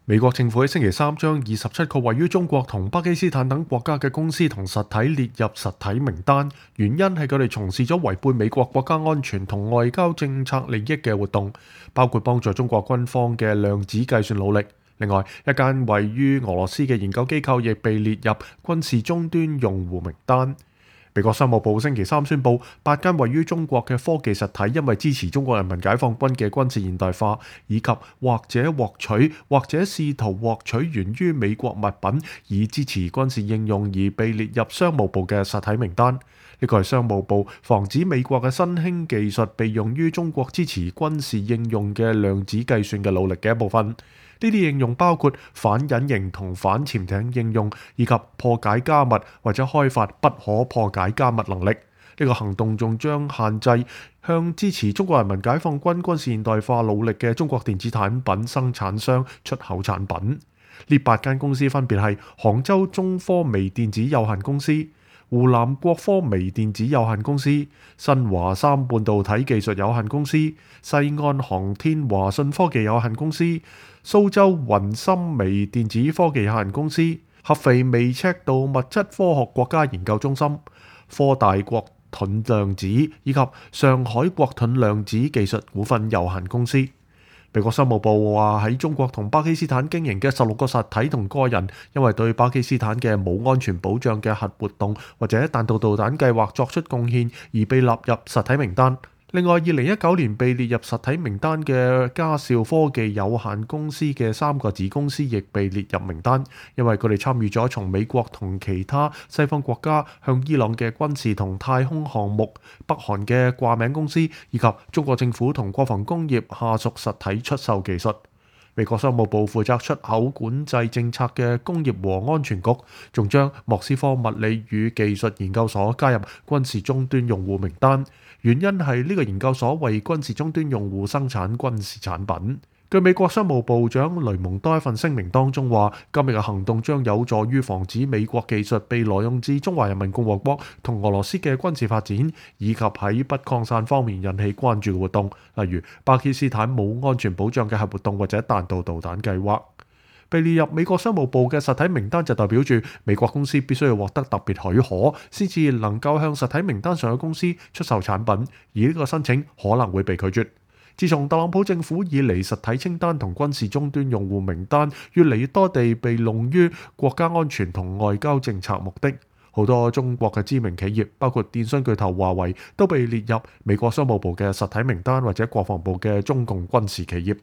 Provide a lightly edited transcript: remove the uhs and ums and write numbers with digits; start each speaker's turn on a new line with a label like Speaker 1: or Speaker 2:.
Speaker 1: 美國政府喺星期三將27個位於中國同巴基斯坦等國家嘅公司同實體列入實體名單，原因係佢哋從事咗違背美國國家安全同外交政策利益嘅活動，包括幫助中國軍方嘅量子計算努力。另外，一間位於俄羅斯嘅研究機構亦被列入軍事終端用戶名單。美國商務部星期三宣布，8間位於中國嘅科技實體因為支持中國人民解放軍嘅軍事現代化，以及或者獲取或者試圖獲取源於美國物品以支持軍事應用而被列入商務部嘅實體名單。呢個係商務部防止美國嘅新興技術被用於中國支持軍事應用嘅量子計算嘅努力嘅一部分。呢啲應用包括反隱形同反潛艇應用，以及破解加密或者開發不可破解加密能力。呢個行動仲將限制向支持中國人民解放軍軍事現代化努力嘅中國電子產品生產商出口產品。呢8間公司分別係杭州中科微電子有限公司、湖南國科微電子有限公司、新華三半導體技術有限公司、西安航天華信科技有限公司、蘇州雲深微電子科技有限公司、合肥微尺度物質科學國家研究中心、科大國盾量子以及上海國盾量子技術股份有限公司。美國商務部話喺中國同巴基斯坦經營嘅16個實體同個人，因為對巴基斯坦嘅冇安全保障嘅核活動或者彈道導彈計劃作出貢獻而被納入實體名單。另外，2019年被列入實體名單嘅嘉兆科技有限公司嘅3個子公司亦被列入名單，因為佢哋參與咗從美國同其他西方國家向伊朗嘅軍事同太空項目、北韓嘅掛名公司以及中國政府同國防工業下屬實體出售技術。美國商務部負責出口管制政策嘅工業和安全局，仲將莫斯科物理與技術研究所加入軍事終端用戶名單，原因係呢個研究所為軍事終端用戶生產軍事產品。據美國商務部長雷蒙多一份聲明當中話，今日嘅行動將有助於防止美國技術被挪用至中華人民共和國同俄羅斯嘅軍事發展，以及喺不擴散方面引起關注嘅活動，例如巴基斯坦冇安全保障嘅核活動或者彈道導彈計劃。被列入美國商務部嘅實體名單就代表住美國公司必須要獲得特別許可，先至能夠向實體名單上嘅公司出售產品，而呢個申請可能會被拒絕。自從特朗普政府以嚟，實體清單同軍事終端用戶名單越嚟越多地被用於國家安全同外交政策目的。好多中國嘅知名企業，包括電信巨頭華為，都被列入美國商務部嘅實體名單或者國防部嘅中共軍事企業。